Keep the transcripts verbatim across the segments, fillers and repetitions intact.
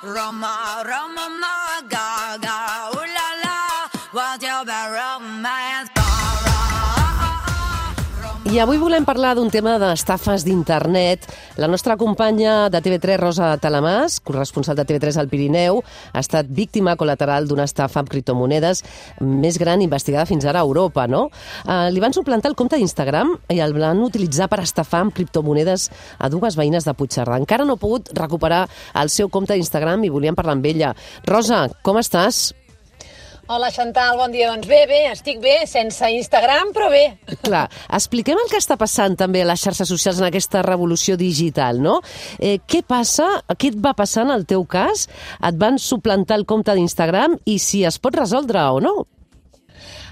Roma, Roma, ma, ga, ga, ooh la la, what's your bad romance? I avui volem parlar d'un tema d'estafes d'internet. La nostra companya de T V tres, Rosa Talamàs, corresponsal de T V tres al Pirineu, ha estat víctima col·lateral d'una estafa amb criptomonedes més gran investigada fins ara a Europa, no? Uh, li van suplantar el compte d'Instagram i el van utilitzar per estafar amb criptomonedes a dues veïnes de Puigcerdà. Encara no ha pogut recuperar el seu compte d'Instagram i volíem parlar amb ella. Rosa, com estàs? Hola, Xantal, bon dia. Doncs bé, bé, estic bé, sense Instagram, però bé. Clar, expliquem el que està passant també a les xarxes socials en aquesta revolució digital, no? Eh, què passa, què et va passar en el teu cas? Et van suplantar el compte d'Instagram i si es pot resoldre o no?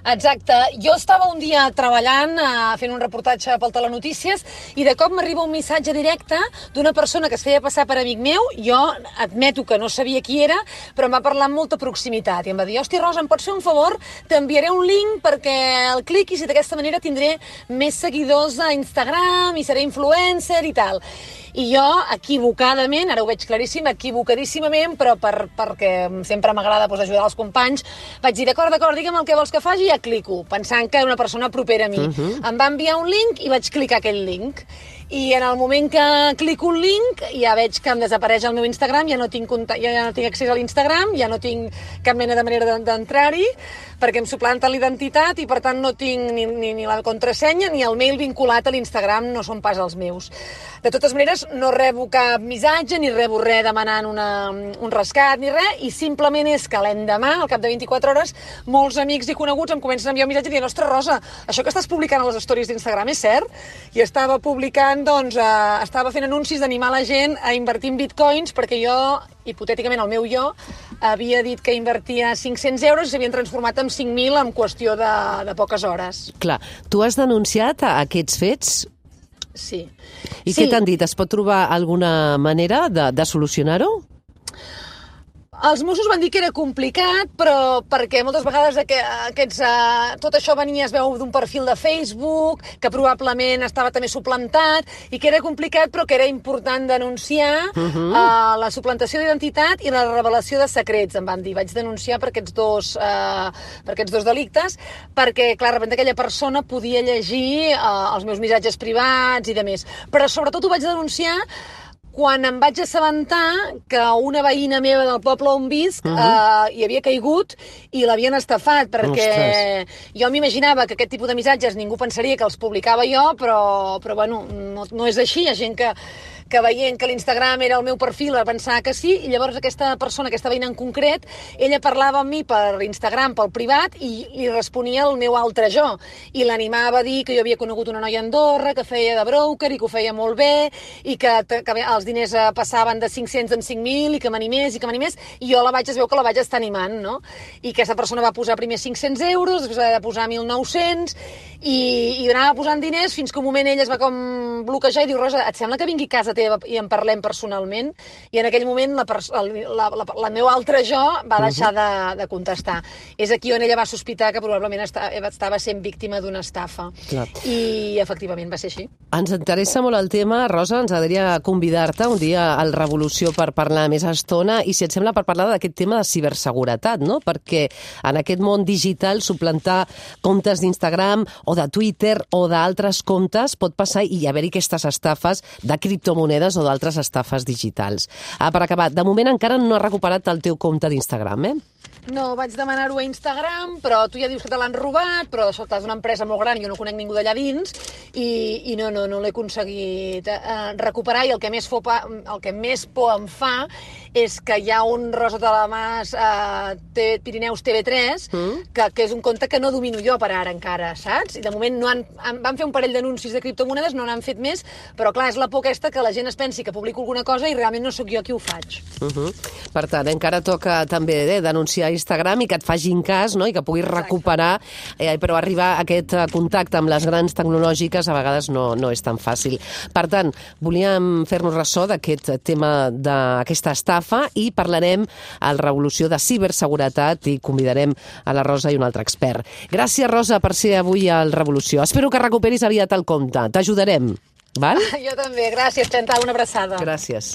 Exacte. Jo estava un dia treballant, eh, fent un reportatge pel Telenotícies, i de cop m'arriba un missatge directe d'una persona que es feia passar per amic meu. Jo admeto que no sabia qui era, però em va parlar amb molta proximitat. I em va dir, hosti, Rosa, em pots fer un favor? T'enviaré un link perquè el cliquis i d'aquesta manera tindré més seguidors a Instagram i seré influencer i tal. I jo, equivocadament, ara ho veig claríssim, equivocadíssimament, però per, perquè sempre m'agrada doncs, ajudar els companys, vaig dir, d'acord, d'acord, digue'm el que vols que faci i ja clico, pensant que era una persona propera a mi. Uh-huh. Em va enviar un link i vaig clicar aquell link. I en el moment que clico un link ja veig que em desapareix el meu Instagram, ja no tinc, ja no tinc accés a l'Instagram, ja no tinc cap mena de manera d'entrar-hi, perquè em suplanten l'identitat i per tant no tinc ni, ni, ni la contrasenya ni el mail vinculat a l'Instagram, no són pas els meus. De totes maneres, no rebo cap missatge ni rebo res demanant una, un rescat ni res, i simplement és que l'endemà, al cap de vint-i-quatre hores, molts amics i coneguts em comencen a enviar un missatge dient, ostres, Rosa, això que estàs publicant a les stories d'Instagram és cert? I estava publicant doncs, eh, estava fent anuncis d'animar la gent a invertir en bitcoins perquè jo, hipotèticament el meu jo, havia dit que invertia cinc-cents euros i s'havien transformat en cinc mil en qüestió de, de poques hores. Clar, tu has denunciat aquests fets? Sí. I sí. Què t'han dit? Es pot trobar alguna manera de, de solucionar-ho? Els Mossos van dir que era complicat, però perquè moltes vegades aquests, uh, tot això venia, es veu, d'un perfil de Facebook, que probablement estava també suplantat, i que era complicat, però que era important denunciar uh-huh. uh, la suplantació d'identitat i la revelació de secrets, em van dir. Vaig denunciar per aquests dos, uh, per aquests dos delictes, perquè, clar, de repente aquella persona podia llegir uh, els meus missatges privats i de més. Però sobretot ho vaig denunciar quan em vaig assabentar que una veïna meva del poble on visc uh-huh. eh, hi havia caigut i l'havien estafat, perquè Ostres. Jo m'imaginava que aquest tipus de missatges ningú pensaria que els publicava jo, però, però bueno, no, no és així. Hi ha gent que, que veient que l'Instagram era el meu perfil va pensar que sí, i llavors aquesta persona, aquesta veïna en concret, ella parlava amb mi per Instagram, pel privat, i li responia el meu altre jo, i l'animava a dir que jo havia conegut una noia a Andorra, que feia de broker i que ho feia molt bé, i que, que els diners passaven de cinc-cents en cinc mil, i que m'animés, i que m'animés, i jo la vaig, es veu que la vaig estar animant, no? I aquesta persona va posar primer cinc-cents euros, després va posar mil nou-cents, i, i anava posant diners fins que un moment ella es va com bloquejar i diu, Rosa, et sembla que vingui a casa teva i en parlem personalment? I en aquell moment la, la, la, la meu altre jo va deixar de, de contestar. És aquí on ella va sospitar que probablement estava, estava sent víctima d'una estafa. Clar. I efectivament va ser així. Ens interessa molt el tema, Rosa, ens agradaria convidar-te un dia al Revolució per parlar més estona i, si et sembla, per parlar d'aquest tema de ciberseguretat, no? Perquè en aquest món digital suplantar comptes d'Instagram o de Twitter o d'altres comptes pot passar i haver-hi aquestes estafes de criptomonedes o d'altres estafes digitals. Ah, per acabar, de moment encara no has recuperat el teu compte d'Instagram, eh? No, vaig demanar-ho a Instagram, però tu ja dius que te l'han robat, però això és una empresa molt gran i jo no conec ningú d'allà dins, i, i no, no, no l'he aconseguit eh, recuperar, i el que, més fo, el que més por em fa és que hi ha un Rosa Talamàs eh, Pirineus T V tres, mm. que, que és un compte que no domino jo per ara encara, saps? I de moment no han, van fer un parell d'anuncis de criptomonedes, no n'han fet més, però clar, és la por aquesta que la gent es pensi que publico alguna cosa i realment no sóc jo qui ho faig. Uh-huh. Per tant, encara toca també eh, denunciar Instagram i que et facin cas, no? I que puguis recuperar, eh, però arribar a aquest contacte amb les grans tecnològiques a vegades no, no és tan fàcil. Per tant, volíem fer-nos ressò d'aquest tema, d'aquesta estafa, i parlarem al Revolució de ciberseguretat i convidarem a la Rosa i un altre expert. Gràcies, Rosa, per ser avui al Revolució. Espero que recuperis aviat el compte. T'ajudarem, val? Jo també. Gràcies, Xantal. Una abraçada. Gràcies.